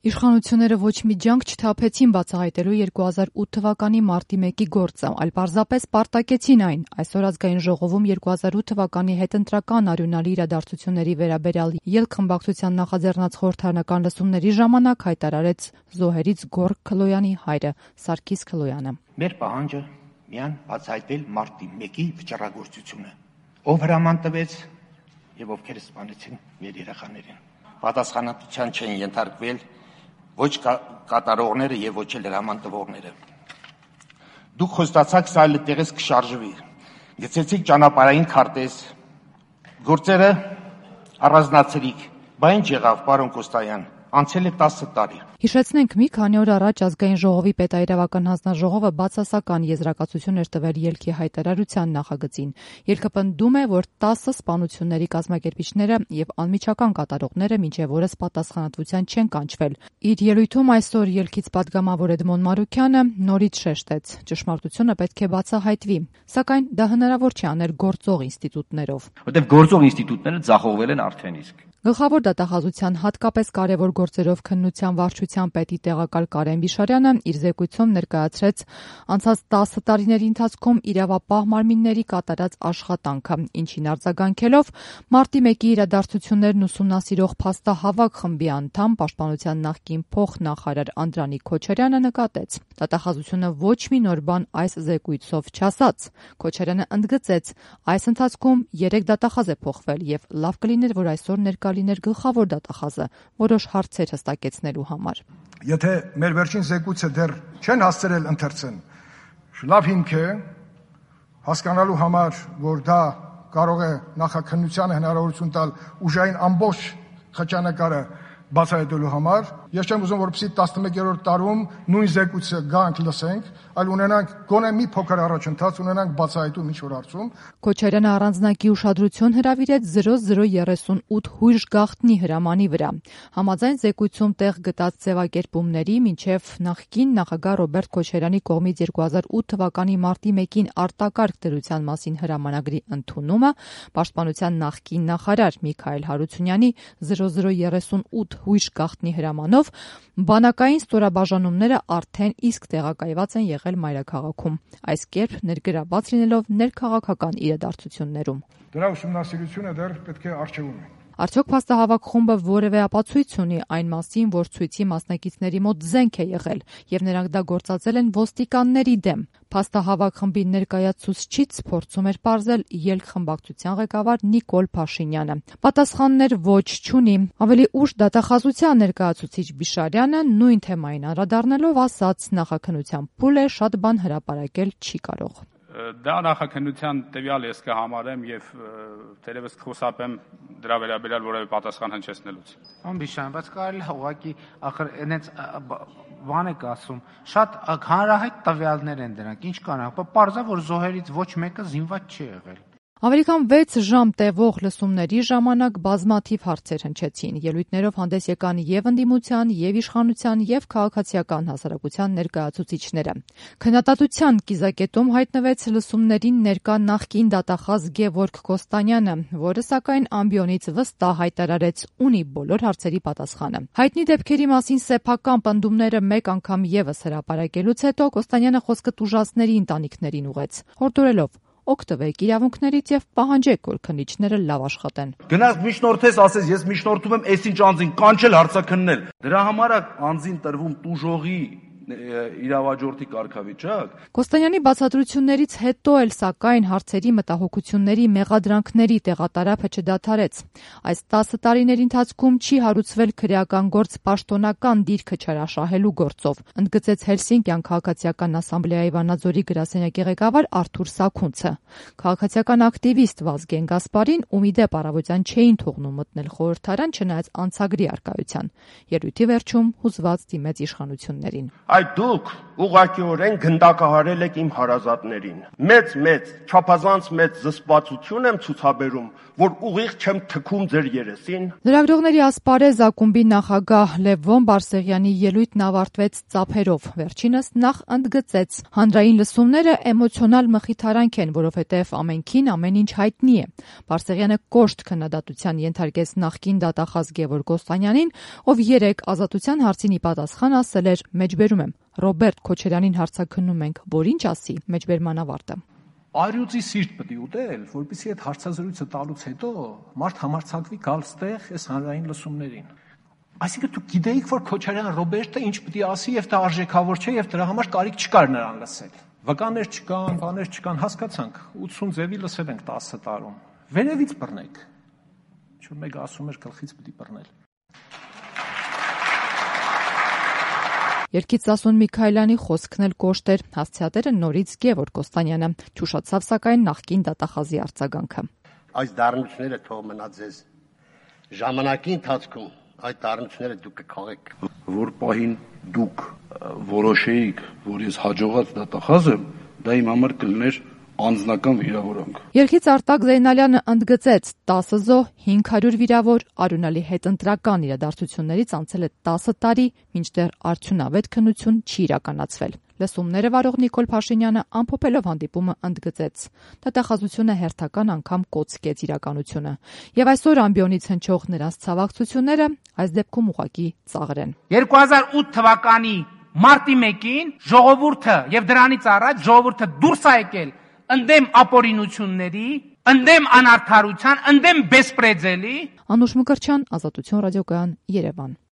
Իշխանությունները ոչ մի ջանք չթափեցին բացահայտելու 2008 թվականի մարտի 1-ի գործը, այլ պարզապես պարտակեցին այն։ Այսօր Ազգային ժողովում 2008 թվականի հետընտրական արյունալի իրադարձությունների վերաբերյալ ելքխմբակցության նախաձեռնած խորհրդարանական լսումների ժամանակ հայտարարեց զոհերից Գոռ Քլոյանի հայրը Սարգիս Քլոյանը։ Մեր պահանջը միան բացահայտել մարտի 1-ի վճռագործությունը, ով հրաման տվեց եւ ովքեր սպանեցին մեր երեխաներին։ Պատասխանատվության չեն ենթարկվել ոչ կատարողները եւ ոչ էլ հրաման տվողները։ Դուք խոստացաք սա այլտեղից կշարժվի։ Գցեցիք ճանապարհային քարտեզ, գործերը առանձնացրիք, բա ինչ եղավ, պարոն Կոստայան, անցել է 10 տարի։ Հիշեցնենք, մի քանի օր առաջ Ազգային ժողովի պետաիրավական հանձնաժողովը բացասական եզրակացություն էր տվել ելքի հայտարարության նախագծին։ Ելքը պնդում է, որ 10 սպանությունների կազմակերպիչները եւ անմիջական կատարողները մինչեւ օրս պատասխանատվության չեն կանչվել։ Իր ելույթում այսօր ելքից падգամավոր Էդմոն Մարուքյանը նորից շեշտեց. ճշմարտությունը պետք է բացահայտվի, սակայն դա հնարավոր չի անել գործող ինստիտուտներով։ Որտեղ գործող ինստիտուտները ձախողվել են արդեն իսկ։ Գլխավոր դատախազության հատկապես կարևոր գործերով քննության վարչության պետի տեղակալ Կարեն Բիշարյանը իր զեկույցում ներկայացրեց անցած 10 տարիների ընթացքում իրավապահ մարմինների կատարած աշխատանքը, ինչին արձագանքելով մարտի 1-ի իրադարձություններն ուսումնասիրող փաստահավաք խմբի անդամ Պաշտպանության նախկին փոխնախարար Անդրանիկ Քոչարյանը նկատեց. դատախազությունը ոչ մի նոր բան այս զեկույցով չասաց։ Քոչարյանը ընդգծեց, այս ընթացքում 3 դատախազ է փոխվել եւ լավ կլիներ, որ այսօր ներկա լիներ գլխավոր դատախազը որոշ հարցեր հստակեցնելու համար։ Եթե մեր վերջին զեկույցը դեռ չեն հասցրել ընթերցեն, լավ հիմք է հասկանալու համար, որ դա կարող է նախաքննությանը հնարավորություն տալ ուժային ամբողջ խճանկարը բացահայտելու համար։ Ես չեմ ուզում, որպեսզի 11-րդ տարում նույն զեկույցը գանք լսենք, այլ ունենանք գոնե մի փոքր առաջընթաց, ունենանք բացահայտում ինչ-որ հարցում։ Քոչարյանը առանձնակի ուշադրություն հրավիրեց 0038 հույժ գաղտնի հրամանի վրա։ Համաձայն զեկույցում տեղ գտած ձևակերպումների մինչև նախկին նախագահ Ռոբերտ Քոչարյանի կողմից 2008 թվականի մարտի 1-ին արտակարգ դրության մասին հրամանագրի ընդունումը, Պաշտպանության նախկին նախարար Միքայել Հարությունյանի 0038 հույժ գաղտնի հրամանով բանակային ստորաբաժանումները արդեն իսկ տեղակայված են եղել մայրաքաղաքում, այս կերպ ներգրավված լինելով ներքաղաքական իրադարձություններում։ Դրա ուսումնասիրությունը դեռ պետք է առջևում է։ Արդյոք փաստահավաք խումբը որևէ ապացույց ունի այն մասին, որ ցույցի մասնակիցների մոտ զենք է եղել եւ նրանք դա գործածել են ոստիկանների դեմ։ Փաստահավաք խմբի ներկայացուցիչից փորձում էր պարզել ելքխմբակցության ղեկավար Նիկոլ Փաշինյանը։ Պատասխաններ ոչ չունի։ Ավելի ուշ դատախազության ներկայացուցիչ Բիշարյանը նույն թեմային անդրադառնալով ասաց, նախաքննության փուլ է, շատ բան հրապարակել չի կարող։ Դա նախաքննության տվյալ ես կհամարեմ եւ թերևս կխոսապեմ դրա վերաբերյալ որևէ պատասխան հնչեցնելուց։ Բիշան, բայց կարելի է ուղղակի ախր այնց բան եք ասում, շատ հանրահայտ տվյալներ են դրանք, ինչ կանանք, պարզա որ զոհերից ոչ մեկը զինված չի եղել։ Ավելի քան 6 ժամ տևող լսումների ժամանակ բազմաթիվ հարցեր հնչեցին։ Ելույթներով հանդես եկան եւ ընդդիմության, եւ իշխանության, եւ քաղաքացիական հասարակության ներկայացուցիչները։ Քննադատության կիզակետում հայտնվեց լսումներին ներկա նախկին դատախազ Գևորգ Կոստանյանը, որը սակայն ամբիոնից վստահ հայտարարեց ունի բոլոր հարցերի պատասխանը։ Հայտնի դեպքերի մասին սեփական պնդումները մեկ անգամ եւս հրապարակելուց հետո Կոստանյանը խոսքը տուժածների ընտանիքներին ուղղեց, հորդորելով օգտվեք իրավունքներից եւ պահանջեք, որ քննիչները լավ աշխատեն։ Գնաց միջնորդես, ասես ես միջնորդում եմ այսինչ անձին կանչել հարցաքննել։ Դրա համար է անձին տրվում տուժողի իրավաճորտի կարգավիճակ։ Կոստանյանի բացատրություններից հետո էլ սակայն հարցերի մտահոգությունների մեղադրանքների տեղատարափը չդադարեց։ Այս 10 տարիների ընթացքում չի հարուցվել քրեական գործ պաշտոնական դիրքը չարաշահելու գործով, ընդգծեց Հելսինկյան քաղաքացիական ասամբլեայի Վանաձորի գրասենյակի ղեկավար Արթուր Սաքունցը։ Քաղաքացիական ակտիվիստ Վազգեն Գասպարին, ում ի դեպ առավոտյան չէին թողնում մտնել խորհրդարան, չնայած անցագրի առկայության, ելույթի վերջում հուզված դիմեց իշխանություններին։ այդ դուք ուղղակիորեն գնդակահարել եք իմ հարազատներին։ Մեծ չափազանց մեծ զսպվածություն եմ ցուցաբերում, որ ուղիղ չեմ թքում ձեր երեսին։ Լրագրողների ասպարեզ ակումբի նախագահ Լևոն Բարսեղյանի ելույթն ավարտվեց ծափերով։ Վերջինս նախ ընդգծեց. հանրային լսումները էմոցիոնալ մխիթարանք են, որովհետև ամենքին ամեն ինչ հայտնի է։ Բարսեղյանը կոշտ քննադատության ենթարկեց նախկին դատախազ Գևորգ Կոստանյանին, ով 3 ազատության հարցին ի պատասխան ասել էր. մեջբերում եմ, Ռոբերտ Քոչարյանին հարցաքննում ենք, որ ինչ ասի մեջբերման ավարտը։ Արյուծի սիրտ պետք է ուտել, որպեսզի այդ հարցազրույցը տալուց հետո մարդ համարձակվի գալ ստեղ այս հանրային լսումներին։ Այսինքն դուք գիտեիք, որ Քոչարյան Ռոբերտը ինչ պետք է ասի եւ դա արժեքավոր չէ եւ դրա համար կարիք չկար նրան լսել։ Վկաներ չկան, բաներ չկան, հասկացանք, 80 ձևի լսել ենք 10 տարում։ Վերևից բռնեք։ Ինչ-որ մեկը ասում էր գլխից պետք է բռնել։ Երգից Սասուն Միքայելյանի խոսքն էլ կոշտ էր, հասցեատերը նորից Գևորգ Կոստանյանը, չուշացավ սակայն նախկին դատախազի արձագանքը։ Այս դառնությունները թող մնա ձեզ ժամանակի ընթացքում այդ դառնությունները դուք կքաղեք։ Որ պահին դուք որոշեիք, որ ես հաջողած դատախազ եմ, դա իմ համար կլիներ անձնական վիրավորանք։ Երգից Արտակ Զեյնալյանը ընդգծեց 10 զոհ, 500 վիրավոր, Արունալի հետ ընտրական իրադարձություններից անցել է 10 տարի, մինչդեռ արդյունավետ քննություն չի իրականացվել։ Լսումները վարող Նիկոլ Փաշինյանը ամփոփելով հանդիպումը ընդգծեց. դատախազությունը հերթական անգամ կոծկեց իրականությունը։ Եվ այսօր ամբիոնից հնչող նրանց ցավակցությունները այս դեպքում ուղղակի ծաղր են։ 2008 թվականի մարտի 1-ին ժողովուրդը եւ դրանից առաջ ժողովուրդը դուրս է եկել ընդդեմ ապօրինությունների, ընդդեմ անարդարության, ընդդեմ բեսպրեդելի։ Անուշ Մկրտչյան, Ազատություն ռադիոկայան, Երևան։